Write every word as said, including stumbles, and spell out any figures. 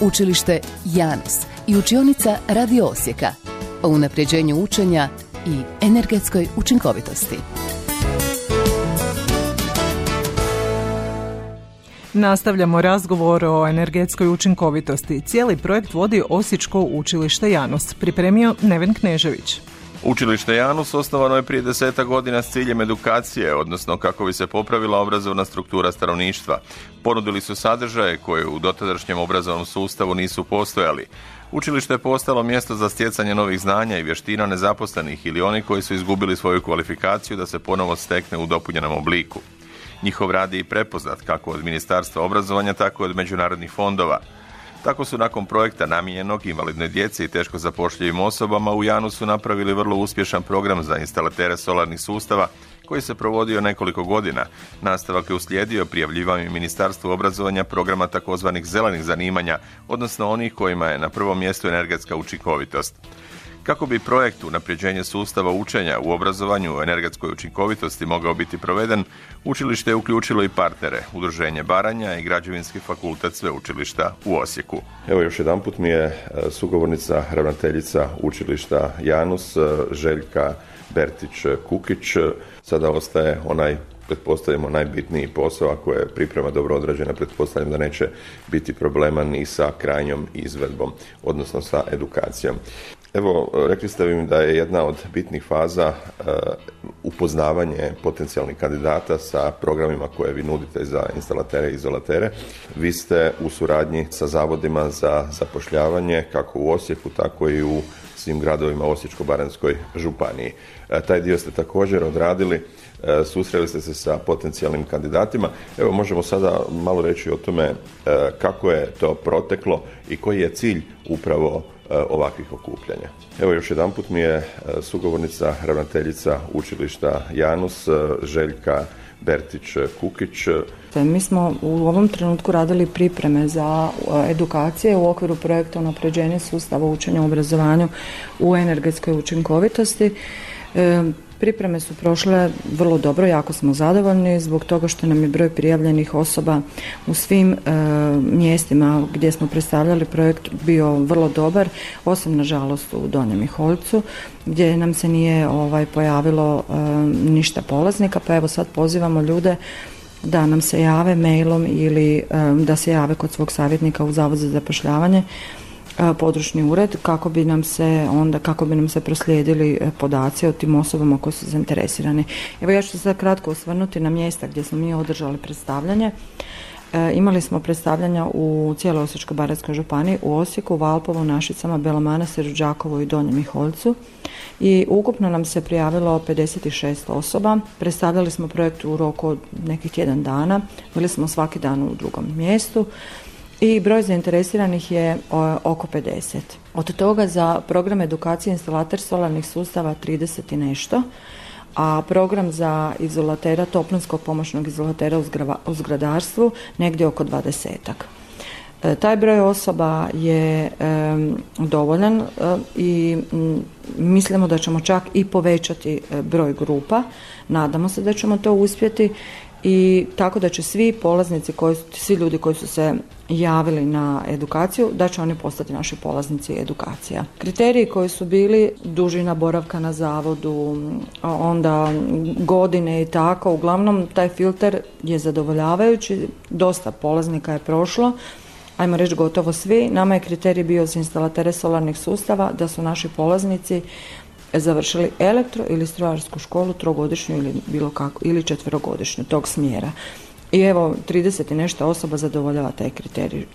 Učilište Janus i učionica Radio Osijeka o unapređenju učenja i energetskoj učinkovitosti. Nastavljamo razgovor o energetskoj učinkovitosti. Cijeli projekt vodi Osječko učilište Janus. Pripremio Neven Knežević. Učilište Janus osnovano je prije deseta godina s ciljem edukacije, odnosno kako bi se popravila obrazovna struktura stanovništva. Ponudili su sadržaje koje u dotadašnjem obrazovnom sustavu nisu postojali. Učilište je postalo mjesto za stjecanje novih znanja i vještina nezaposlenih ili oni koji su izgubili svoju kvalifikaciju da se ponovo stekne u dopunjenom obliku. Njihov rad je i prepoznat kako od Ministarstva obrazovanja, tako i od međunarodnih fondova. Tako su nakon projekta namijenjenog invalidnoj djeci i teško zapošljivim osobama u Janusu napravili vrlo uspješan program za instalatere solarnih sustava koji se provodio nekoliko godina. Nastavak je uslijedio prijavljivanjem Ministarstvu obrazovanja programa takozvanih zelenih zanimanja, odnosno onih kojima je na prvom mjestu energetska učinkovitost. Kako bi projekt unapređenje sustava učenja u obrazovanju o energetskoj učinkovitosti mogao biti proveden, učilište je uključilo i partnere, Udruženje Baranja i Građevinski fakultet Sveučilišta u Osijeku. Evo još jedanput mi je sugovornica ravnateljica učilišta Janus, Željka Bertić-Kukić. Sada ostaje onaj, pretpostavimo, najbitniji posao, ako je priprema dobro odrađena, pretpostavljam da neće biti problema ni sa krajnjom izvedbom, odnosno sa edukacijom. Evo, rekli ste mi da je jedna od bitnih faza uh, upoznavanje potencijalnih kandidata sa programima koje vi nudite za instalatere i izolatere. Vi ste u suradnji sa zavodima za zapošljavanje, kako u Osijeku, tako i u svim gradovima Osječko-baranjskoj županiji. Uh, taj dio ste također odradili, uh, susreli ste se sa potencijalnim kandidatima. Evo, možemo sada malo reći o tome uh, kako je to proteklo i koji je cilj upravo ovakvih okupljanja. Evo još jedanput mi je sugovornica ravnateljica učilišta Janus, Željka Bertić-Kukić. Mi smo u ovom trenutku radili pripreme za edukacije u okviru projekta unapređenja sustava učenja u obrazovanju u energetskoj učinkovitosti. Pripreme su prošle vrlo dobro, jako smo zadovoljni zbog toga što nam je broj prijavljenih osoba u svim e, mjestima gdje smo predstavljali projekt bio vrlo dobar, osim nažalost u Donjem Miholjcu gdje nam se nije ovaj, pojavilo e, ništa polaznika, pa evo sad pozivamo ljude da nam se jave mailom ili e, da se jave kod svog savjetnika u Zavod za zapošljavanje, područni ured, kako bi nam se onda kako bi nam se proslijedili podaci o tim osobama koji su zainteresirani. Evo ja ću se sad kratko osvrnuti na mjesta gdje smo mi održali predstavljanje. E, imali smo predstavljanja u cijeloj Osječko-baranjskoj županiji, u Osijeku, Valpovu, Našicama, Belom Manastiru, Đakovu i Donjem Miholjcu. I ukupno nam se prijavilo pedeset šest osoba. Predstavljali smo projekt u roku od nekih tjedan dana. Bili smo svaki dan u drugom mjestu. I broj zainteresiranih je oko pedeset. Od toga za program edukacije instalater solarnih sustava trideset i nešto, a program za izolatera, toplinskog pomoćnog izolatera u zgradarstvu negdje oko dvadesetak. E, taj broj osoba je e, dovoljan e, i m, mislimo da ćemo čak i povećati e, broj grupa. Nadamo se da ćemo to uspjeti. I tako da će svi polaznici, koji, svi ljudi koji su se javili na edukaciju, da će oni postati naši polaznici edukacija. Kriteriji koji su bili dužina boravka na zavodu, onda godine i tako, uglavnom taj filter je zadovoljavajući, dosta polaznika je prošlo, ajmo reći gotovo svi. Nama je kriterij bio za instalatere solarnih sustava da su naši polaznici završili elektro ili strojarsku školu trogodišnju ili bilo kako ili četverogodišnju tog smjera. I evo trideset i nešto osoba zadovoljava taj kriterij.